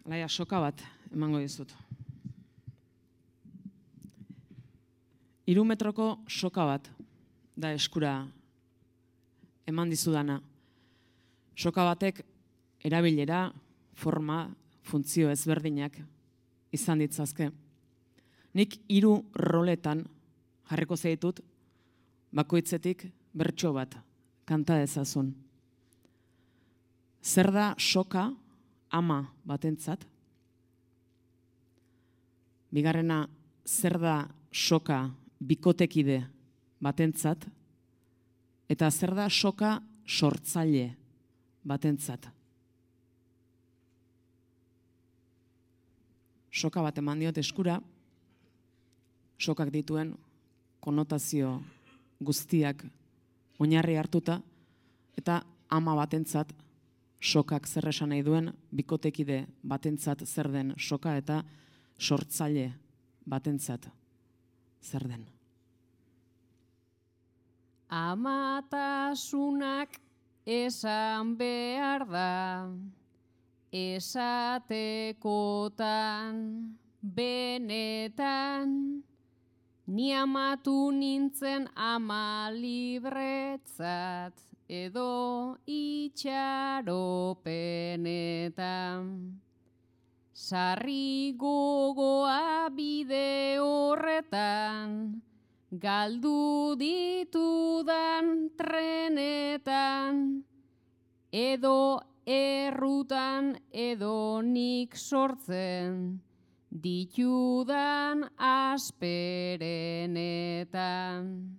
Alaia, soka bat emango dizut. 3 metroko soka bat da eskura eman dizudana. Soka batek erabilera, forma, funtzio ezberdinak izan ditzazke. Nik 3 roletan jarriko zaitut, bakoitzetik bertso bat kanta dezazun. Zer da soka ama batentzat? Bigarrena, zer da soka bikotekide batentzat? Eta zer da soka sortzaile batentzat? Soka bat eman diot eskura, sokak dituen konotazio guztiak oinarri hartuta, eta ama batentzat sokak zer esan nahi duen, bikotekide batentzat zer den soka, eta sortzaile batentzat zer den. Amatasunak esan behar da, esatekotan, benetan, ni amatu nintzen ama libretzat, edo itxaropenetan. Sarri gogoa bide horretan, galdu ditudan trenetan, edo errutan edo nik sortzen, ditudan asperenetan.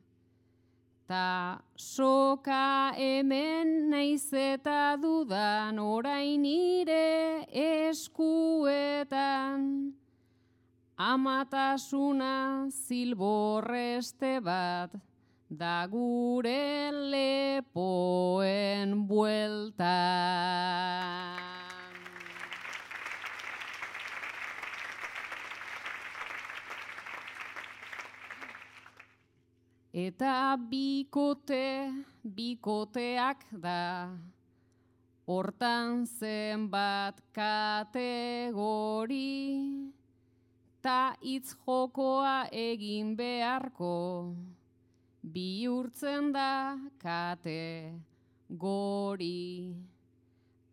Ta soka hemen naiz eta dudan orain nire eskuetan. Amatasuna zilborreste bat da gure lepoen bueltan. Eta bikoteak da, hortan zenbat kategori, ta hitz jokoa egin beharko, bihurtzen da kategori.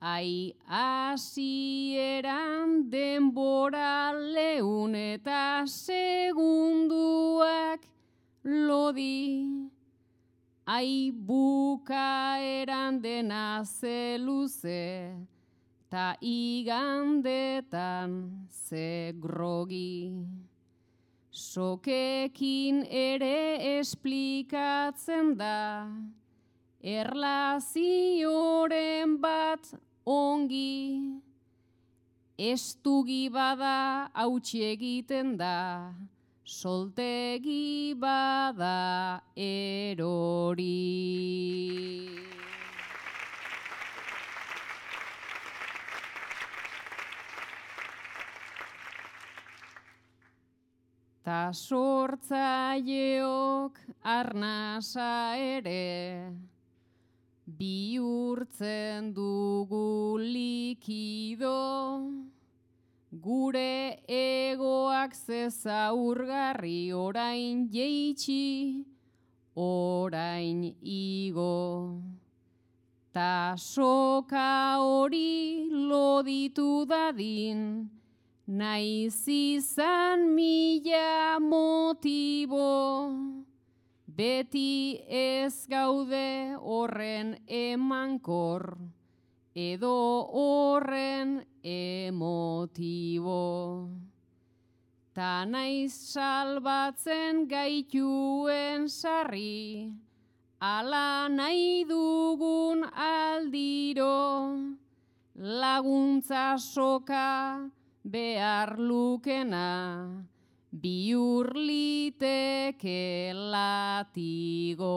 Ai hasieran denbora leun eta segunduak lodi, ai bukaeran dena zeluze, ta igandetan ze grogi. Sokekin ere esplikatzen da, erlazioren bat ongi, estugi bada hautsi egiten da, soltegi bada erori. Ta sortzaileok arnasa ere, bihurtzen dugu likido, gure egoak zezaurgarri orain jeitsi, orain igo. Ta soka hori loditu dadin, naiz izan 1000 motibo, beti ez gaude horren emankor, edo horren emotibo. Ta naiz salbatzen gaituen sarri, ala nahi dugun aldiro, laguntza soka behar lukena, bihur liteke latigo.